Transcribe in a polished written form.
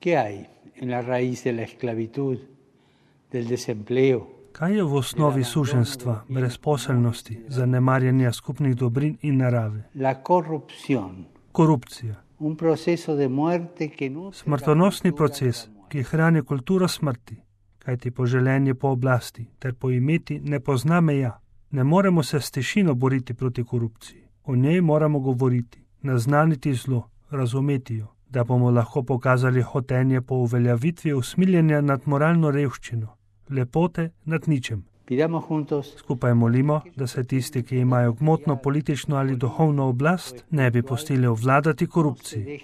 ¿Qué hay en la raíz de la esclavitud, del desempleo? Kaj je v osnovi suženjstva, brezposelnosti, zanemarjanja skupnih dobrin in narave? La corrupción. Korupcija. Un proceso de muerte que nutre Smrtonosni proces, ki hrani kulturo smrti, kajti poželenje po oblasti ter po imeti ne pozna meja. Ne moremo se s tišino boriti proti korupciji. O njej moramo govoriti, naznaniti zlo, razumeti jo, da bomo lahko pokazali hotenje po uveljavitvi usmiljenja nad moralno revščino, lepote nad ničem. Skupaj molimo, da se tisti, ki imajo gmotno, politično ali duhovno oblast, ne bi pustili ovladati korupciji.